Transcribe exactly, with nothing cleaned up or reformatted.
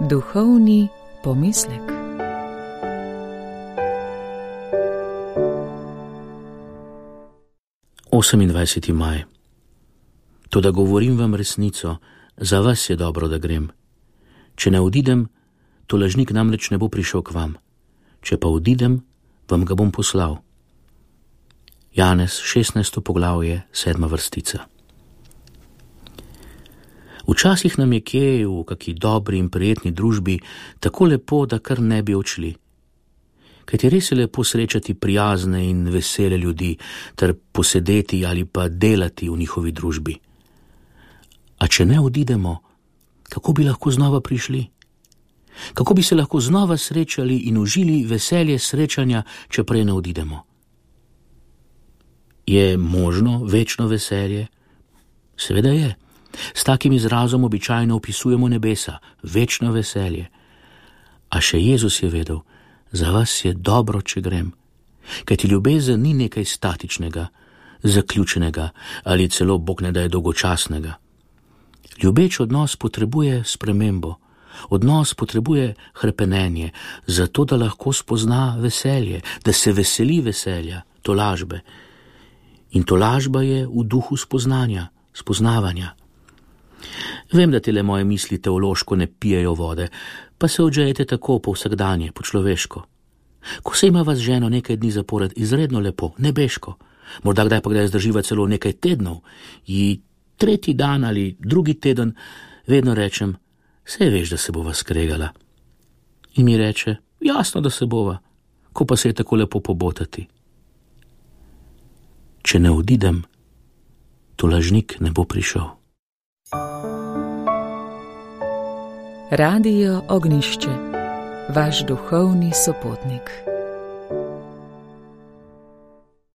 Duhovni pomislek. osemindvajseti maj. Toda govorim vam resnico, za vas je dobro, da grem. Če ne odidem, to lažnik namreč ne bo prišel k vam. Če pa odidem, vam ga bom poslal. Janez, šestnajsto poglavje, sedma vrstica. Včasih nam je kje v kaki dobri in prijetni družbi tako lepo, da kar ne bi odšli. Kajti res je lepo srečati prijazne in vesele ljudi ter posedeti ali pa delati v njihovi družbi. A če ne odidemo, kako bi lahko znova prišli? Kako bi se lahko znova srečali in užili veselje srečanja, če prej ne odidemo? Je možno večno veselje? Seveda je. S takim izrazom običajno opisujemo nebesa, večno veselje. A še Jezus je vedel, za vas je dobro, če grem. Kajti ljubezen ni nekaj statičnega, zaključenega ali celo, Bog ne daj, dolgočasnega. Ljubeč odnos potrebuje spremembo, odnos potrebuje hrepenenje, zato da lahko spozna veselje, da se veseli veselja, tolažbe. In tolažba je v duhu spoznanja, spoznavanja. Vem, da tele moje misli teološko ne pijejo vode, pa se odžejete tako po vsakdanje, po človeško. Ko se ima vas z ženo nekaj dni zapored izredno lepo, nebeško, morda kdaj pa kdaj zdrživa celo nekaj tednov, ji tretji dan ali drugi teden vedno rečem, saj veš, da se bova skregala. In mi reče, jasno, da se bova, ko pa se je tako lepo pobotati. Če ne odidem, to lažnik ne bo prišel. Radio Ognišče, vaš duhovni sopotnik.